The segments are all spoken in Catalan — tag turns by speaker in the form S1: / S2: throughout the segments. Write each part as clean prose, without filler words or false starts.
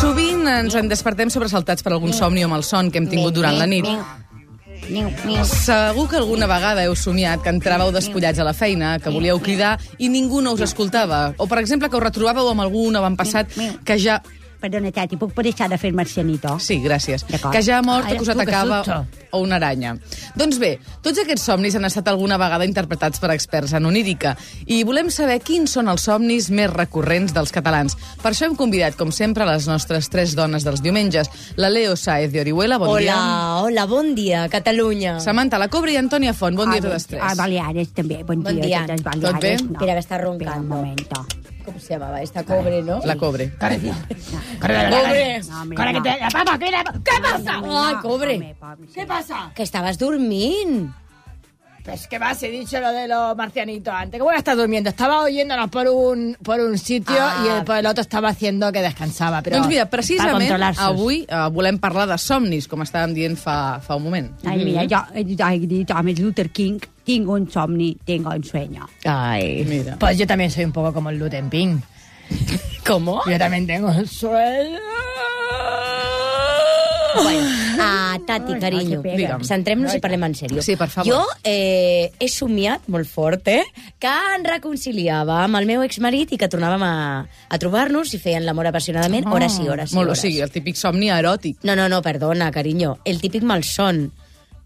S1: Sovint ens en despertem sobresaltats per algun somni o malson que hem tingut durant la nit. Segur que alguna vegada heu somiat que entràveu despullats a la feina, que volíeu cridar i ningú no us escoltava. O, per exemple, que us retrobàveu amb algun avantpassat que ja...
S2: Perdona, Tati, puc deixar de fer marcianito?
S1: Sí, gràcies. Que ja ha mort o que us atacava o una aranya. Doncs bé, tots aquests somnis han estat alguna vegada interpretats per experts en onírica i volem saber quins són els somnis més recurrents dels catalans. Per això hem convidat, com sempre, les nostres 3 dones dels diumenges. La Leo Sáez de Orihuela, bon dia.
S3: Hola, bon dia, Catalunya.
S1: Samantha La Cobra i Antònia Font, bon dia a totes 3.
S2: Baleares, també, bon dia.
S1: Tot bé?
S3: Espera, que està roncando.
S2: Un momento.
S3: ¿Cómo se llamaba? Esta Cobre, ¿no?
S1: La Cobre.
S3: Cobre. ¿Qué pasa? Ay, Cobre.
S4: ¿Qué pasa?
S3: Que estabas durmiendo.
S4: Pues que más he dicho lo de los marcianitos antes. Que voy a estar durmiendo. Estaba oyéndonos por un sitio y por el otro estaba haciendo que descansaba. Però
S1: doncs mira, precisament avui volem parlar de somnis, com estàvem dient fa un moment.
S2: Ai, mira, jo he dit a Luther King, tengo un somni, tengo un sueño.
S3: Ay,
S1: mira.
S4: Pues yo también soy un poco como el Luther King.
S3: ¿Cómo?
S4: Yo también tengo un sueño.
S3: Bueno, Tati, carinyo, centrem-nos i parlem en sèrio.
S1: Sí, per favor.
S3: Jo he somiat molt fort, que em reconciliava amb el meu exmarit i que tornàvem a trobar-nos i feien l'amor apassionadament hores i hores i
S1: Molt,
S3: hores.
S1: o sigui, el típic somni eròtic.
S3: No, perdona, carinyo. El típic malson.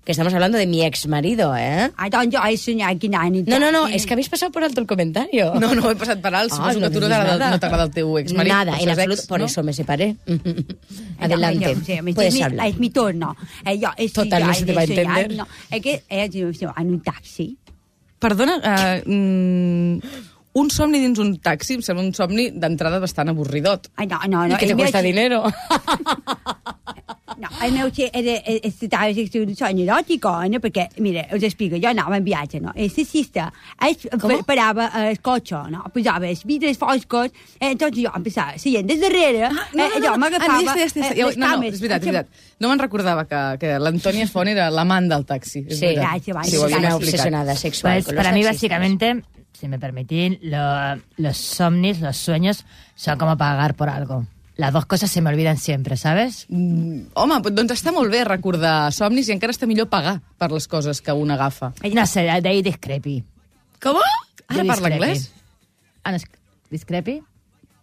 S3: Que estamos hablando de mi exmarido, ¿eh?
S2: Ai, doncs jo he soñat quina nit.
S3: No, es que habéis pasado por alto el comentario.
S1: No, he passat per alt. Suposo que a tu no t'agrada el teu exmarit.
S3: Nada, en absoluto. Por eso me separé. Adelante. Puedes hablar.
S2: Es mi turno.
S3: Total, no se te va a entender.
S2: No, es que en un taxi.
S1: Perdona, un somni dins un taxi em sembla un somni d'entrada bastant avorridot.
S2: Ai, no.
S3: I que te cuesta dinero.
S2: No, el meu estava un somni eròtic, no? Perquè, mira, us explico, jo anava en viatge, no? El taxista parava el cotxe, no? Posava els vidres foscos, doncs jo em passava seient des darrere, jo m'agafava les cames.
S1: No, és veritat. No me'n recordava que l'Antònia Font era l'amant del taxi.
S3: Sí, una obsesionada sexual.
S4: Pues para mí, básicamente, si me permitís, los somnis, los sueños, son como pagar por algo. Las dos cosas se me olvidan siempre, ¿sabes?
S1: Home, doncs està molt bé recordar somnis i encara està millor pagar per les coses que un agafa.
S4: No sé, de ahí discrepi.
S1: Com? Ara parla anglès?
S4: ¿Discrepi?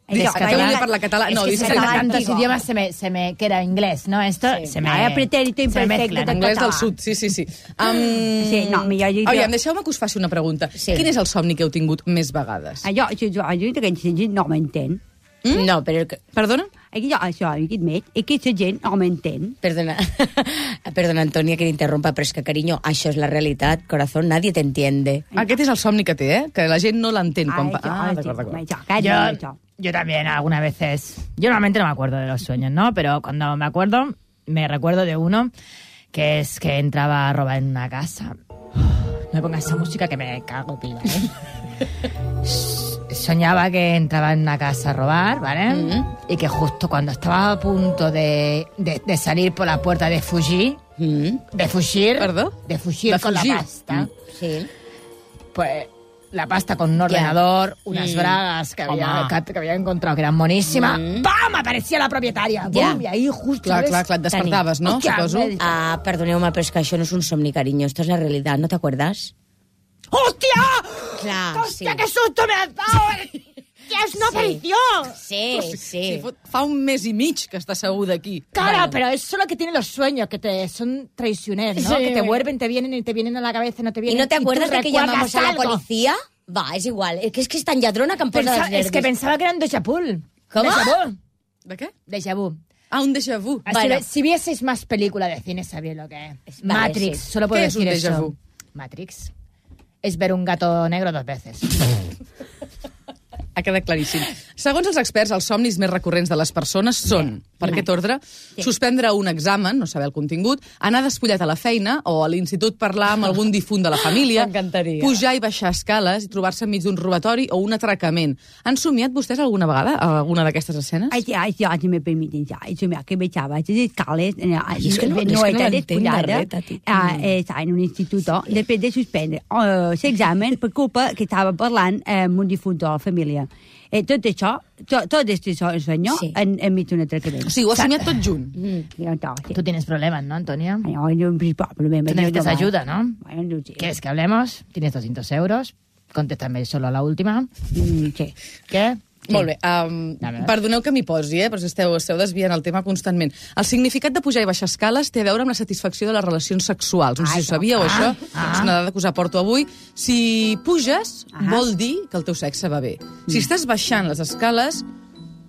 S1: Català parla català. No,
S4: discrepi. Tantos idiomas se me queda inglés, ¿no? Esto se me...
S2: pretérito imperfecte de
S1: anglès del sud, sí.
S2: Sí, no, millor...
S1: Aviam, deixeu-me que us faci una pregunta. Quin és el somni que heu tingut més vegades?
S2: Jo d'aquesta gent no m'entén.
S3: No, però...
S1: Perdona?
S2: Aquesta gent no m'entén.
S3: Perdona, Antònia, que t'interrompa, però és que, carinyo, això és la realitat, corazón, nadie te entiende.
S1: Aquest és el somni que té, que la gent no l'entén.
S4: Yo también, algunas veces... Yo normalmente no me acuerdo de los sueños, ¿no? Pero cuando me acuerdo, me recuerdo de uno que es que entraba a robar en una casa. Me ponga esa música que me cago, piba, Soñaba que entraba en una casa a robar, ¿vale? Y que justo cuando estaba a punto de salir por la puerta de fugir,
S1: ¿Perdó?
S4: De fugir con la pasta,
S3: sí.
S4: Pues la pasta con un ordenador, unas bragas que había encontrado que eran moníssimas, ¡pam! Aparecia la propietària, ¡bum! I ahí justo...
S1: Clar, et despertaves, no? Suposo.
S3: Perdoneu-me, però és que això no és un somni, carinyo, esto es la realitat, ¿no te acuerdas?
S4: ¡Hostia!
S3: Clar,
S4: ¡Hostia, qué susto me has dado! ¡Que es una aparición!
S3: Sí.
S1: Fa un mes i mig que està segur d'aquí.
S4: Claro, pero eso es lo que tienen los sueños, que son traicioneros, ¿no?
S3: Sí.
S4: Que te vuelven, te vienen a la cabeza, no te vienen...
S3: ¿Y no te acuerdas de que llamamos a la
S4: algo?
S3: policía? Va, es igual. Es que es tan lladrona que em posa els nervis.
S4: Es que pensaba que era un déjà vu.
S3: ¿Cómo?
S4: Déjà vu.
S1: ¿De qué?
S4: Déjà vu.
S1: Un déjà vu.
S3: Bueno.
S4: Si vieseis más películas de cine, sabéis lo que es.
S3: Vale,
S4: Matrix,
S3: sí.
S4: solo puedo
S1: ¿Qué es un
S4: decir
S1: déjà
S4: eso.
S1: vu?
S4: Matrix. Es ver un gato negro 2 veces.
S1: Ha quedat claríssim. Segons els experts, els somnis més recurrents de les persones són per aquest ordre, suspendre un examen, no saber el contingut, anar despullat a la feina o a l'institut parlar amb algun difunt de la família,
S3: M'encantaria.
S1: pujar i baixar escales i trobar-se enmig d'un robatori o un atracament. Han somiat vostès alguna vegada alguna d'aquestes escenes?
S2: Ai, si me permiten, he somiat que baixava les escales,
S3: és que no l'entenc de res, Tati.
S2: Estava en un institut, després de suspendre l'examen per culpa que estava parlant amb un difunt de la família. Tot això, tot aquest senyor, enmig d'un atracament.
S1: O sigui, ho ha somiat tot junt.
S4: Tú tienes problemas, ¿no, Antonia?
S2: Tú
S4: Tú necesitas ayuda, ¿no?
S2: Bueno, sí.
S4: ¿Quieres que hablemos? Tienes 200 euros. Contéstame solo a la última.
S2: Sí.
S4: ¿Qué? Sí.
S1: Molt bé. Perdoneu que m'hi posi, però esteu desviant el tema constantment. El significat de pujar i baixar escales té a veure amb la satisfacció de les relacions sexuals. No sé si ho sabíeu, això. És una dada que us aporto avui. Si puges, vol dir que el teu sexe va bé. Si estàs baixant les escales,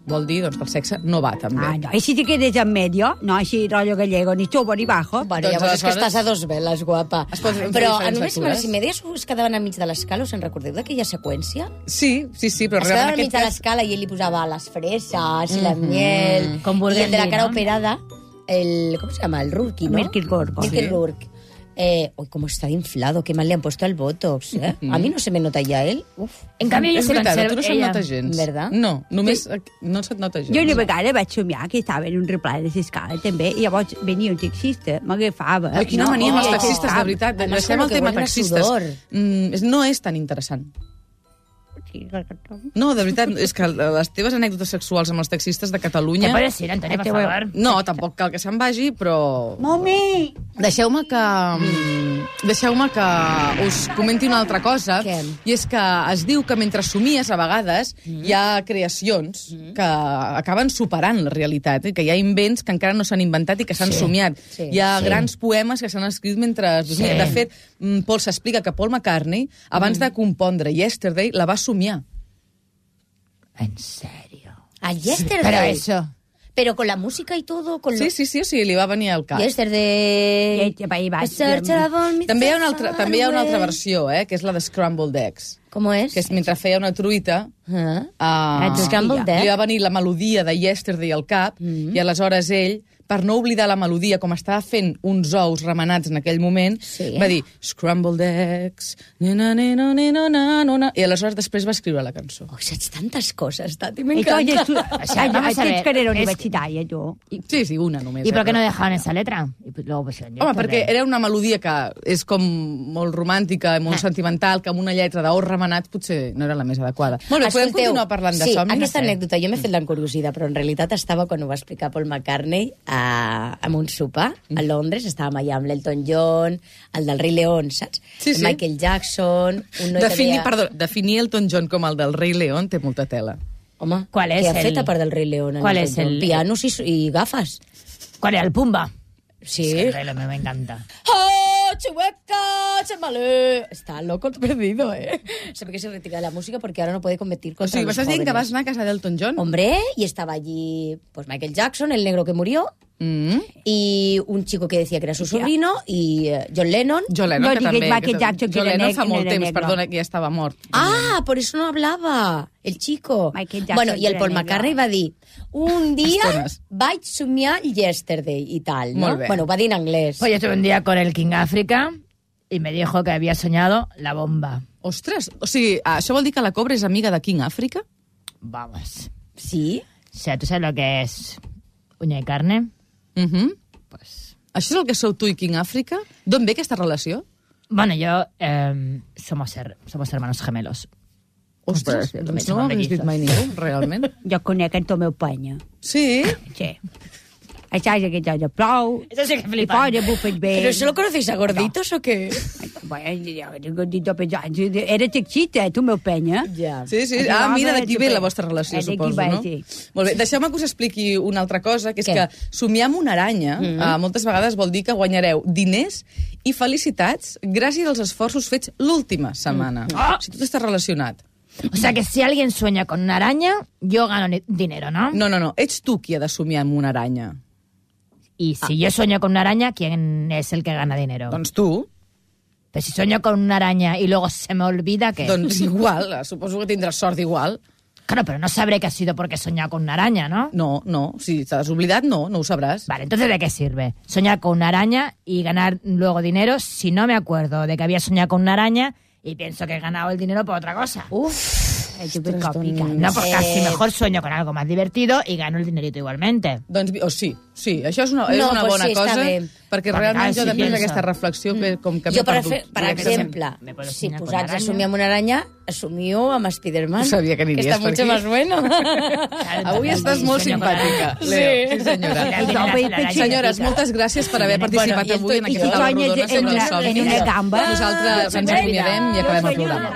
S1: vol dir que el sexe no va tan bé.
S2: No. I si te quedes en medio, no així rollo gallego, ni subo ni bajo.
S3: Bueno,
S1: Doncs
S3: llavors és que
S1: aleshores-
S3: estàs a dos veles, guapa.
S1: Es pot fer
S3: Però
S1: diferents
S3: només
S1: lectures.
S3: si medies es quedaven enmig de l'escala, us en recordeu d'aquella seqüència?
S1: Sí, però
S3: Es
S1: realment
S3: quedaven
S1: en
S3: enmig
S1: aquest
S3: de
S1: cas...
S3: l'escala i ell li posava les freses i la miel.
S4: Con
S3: I
S4: Burgundy,
S3: el de la cara
S4: ¿no?
S3: operada, ¿cómo se llama? El Rourke, ¿no?
S2: Mirky Rourke.
S3: Mirky Rourke. Uy, cómo está de inflado, qué mal le han puesto el Botox, ¿eh? A mí no se me nota ya él. Uf.
S4: En cambio, yo
S1: És
S4: se
S1: veritat, a tu
S4: conservo
S1: no se't
S4: ella.
S1: nota gens.
S3: ¿Verdad?
S1: No, només no se't nota gens.
S2: Jo una vegada vaig somiar que estava en un replà de l'escala també, i llavors venia un taxista, m'agafava.
S1: Ai, quina mania amb els taxistes, de veritat.
S3: Además,
S1: Deixem
S3: con
S1: el
S3: lo que
S1: tema
S3: huelen a
S1: taxistes.
S3: sudor.
S1: No és tan interessant. No, de veritat, és que les teves anècdotes sexuals amb els taxistes de
S4: ¿Te
S1: Catalunya...
S4: puedes ir, Antonia, por favor?
S1: No, tampoc cal que se'n vagi, però...
S2: Mami!
S1: Deixeu-me que us comenti una altra cosa,
S3: Què?
S1: i és que es diu que mentre somies, a vegades, hi ha creacions que acaben superant la realitat, que hi ha invents que encara no s'han inventat i que s'han somiat.
S3: Sí.
S1: Hi ha grans poemes que s'han escrit mentre...
S4: Sí.
S1: De fet, Paul s'explica que Paul McCartney, abans de compondre Yesterday, la va somiar.
S4: En serio.
S3: A Yesterday.
S4: Pero eso...
S3: Pero con la música y todo. Con
S1: Sí, o sigui, li va venir al cap.
S3: Yesterday.
S1: També hi ha una altra versió, que és la de Scrambled Eggs,
S3: ¿Cómo es?
S1: que és mentre feia una truita...
S3: Scrambled Egg.
S1: Li va venir la melodia de Yesterday al cap, i aleshores ell, per no oblidar la melodia, com estava fent uns ous remenats en aquell moment, va dir Scrambled Eggs, i aleshores després va escriure la cançó.
S3: Oh, saps tantes coses, Tati,
S2: I tu,
S3: m'encanta.
S2: tens carrera universitària, tu.
S1: Sí, una només.
S4: ¿Y por qué no dejaban esa letra? Y pues luego pusieron
S1: Home,
S4: Yesterday.
S1: perquè era una melodia que és com molt romàntica, molt sentimental, que amb una lletra d'ous remenats potser no era la més adequada. Molt bé, podem
S3: Escolteu,
S1: continuar parlant de
S3: sí,
S1: somnis?
S3: aquesta anècdota, jo m'he fet l'encuriosida, però en realitat estava quan ho va explicar Paul McCartney amb un sopar a Londres, estàvem allà amb l'Elton John, el del Rei León, saps?
S1: Sí, sí.
S3: Michael Jackson, un noi que deia...
S1: Definir Elton John com el del Rei León té molta tela.
S3: Home,
S4: ¿Cuál es
S3: què ha
S4: el-
S3: fet a part del Rei León?
S4: ¿Cuál
S3: Elton
S4: es
S3: John?
S4: el-
S3: Pianos i gafes.
S4: ¿Cuál era el Pumba?
S3: Sí.
S4: Es que me encanta.
S3: ¡Oh, chihuahua, chamalé! Está loco el perdido, ¿eh? Se ve que se retira de la música porque ahora no puede competir
S1: O
S3: contra
S1: sigui,
S3: los
S1: m'estàs dient que vas
S3: jóvenes.
S1: anar a casa d'Elton John?
S3: Hombre, y estaba allí pues Michael Jackson, el negro que murió, y un chico que decía que era su sobrino, y John Lennon.
S1: John Lennon,
S2: No
S1: que
S2: diguis
S1: també...
S2: Michael Jackson, que
S1: John
S2: era
S1: Lennon fa molt
S2: negre,
S1: temps,
S2: negre.
S1: perdona, que ja estava mort.
S3: Ah, por eso no hablaba el chico.
S2: Michael Jackson
S3: Bueno, y el
S2: era
S3: Paul
S2: negro.
S3: McCartney va dir un dia
S1: Estones.
S3: vaig somiar Yesterday y tal, ¿no?
S1: Molt bé.
S3: Bueno, va dir en anglès.
S4: Pues yo estuve un día con el King África y me dijo que había soñado la bomba.
S1: Ostres, o sigui, això vol dir que la Cobra és amiga de King África?
S4: Vamos.
S3: Sí?
S4: O sea, ¿tú sabes lo que es uña y carne? Pues...
S1: Això és el que sou tu i King África? D'on ve aquesta relació?
S4: Bueno, yo... somos hermanos gemelos.
S1: Ostres,
S4: També
S1: doncs no
S4: som
S1: ho hagués dit
S4: mellizos.
S1: mai ningú, realment.
S2: Jo conec en Tomeu Penya.
S1: Sí?
S2: Sí. Això és aquest de plou.
S4: Eso sí que
S2: I
S4: flipan.
S2: fora bufes bé.
S3: ¿Pero solo conocéis a gorditos o qué?
S2: Bueno, gordito pensant. Era taxista, Tomeu Penya.
S3: Ja.
S1: Sí, sí.
S2: Això
S1: Mira,
S2: va
S1: d'aquí
S2: de
S1: ve
S2: super.
S1: la vostra relació,
S2: D'aquí
S1: suposo,
S2: va,
S1: no?
S2: sí.
S1: Molt bé, deixeu-me que us expliqui una altra cosa, que és
S3: Què?
S1: que somiar amb una aranya moltes vegades vol dir que guanyareu diners i felicitats gràcies als esforços fets l'última setmana. O sigui, tot està relacionat.
S4: O sea, que si alguien sueña con una araña, yo gano dinero, ¿no?
S1: No. Ets tu qui ha de somiar amb una aranya.
S4: Y si yo sueño con una araña, ¿quién es el que gana dinero?
S1: Doncs tu.
S4: Pero si sueño con una araña y luego se me olvida que...
S1: Doncs igual, suposo que tindràs sort igual.
S4: Claro, pero no sabré que ha sido porque he soñado con una araña, ¿no?
S1: No, si te has oblidat, no ho sabràs.
S4: Vale, entonces ¿de qué sirve? Soñar con una araña y ganar luego dinero si no me acuerdo de que había soñado con una araña y pienso que he ganado el dinero por otra cosa. No, pues casi mejor sueño con algo más divertido y gano el dinerito igualmente.
S1: Doncs, sí, això és una bona cosa, perquè realment jo després d'aquesta reflexió com que m'he perdut.
S3: Per exemple, si posats a somiar amb una aranya, assumio amb Spiderman.
S1: Sabia que aniries per aquí.
S3: Que està mucho más bueno.
S1: Avui estàs molt simpàtica, Leo. Sí, senyora. Senyores, moltes gràcies per haver participat avui en aquesta taula rodona sobre els somnis. Nosaltres ens acomiadem i acabem el programa.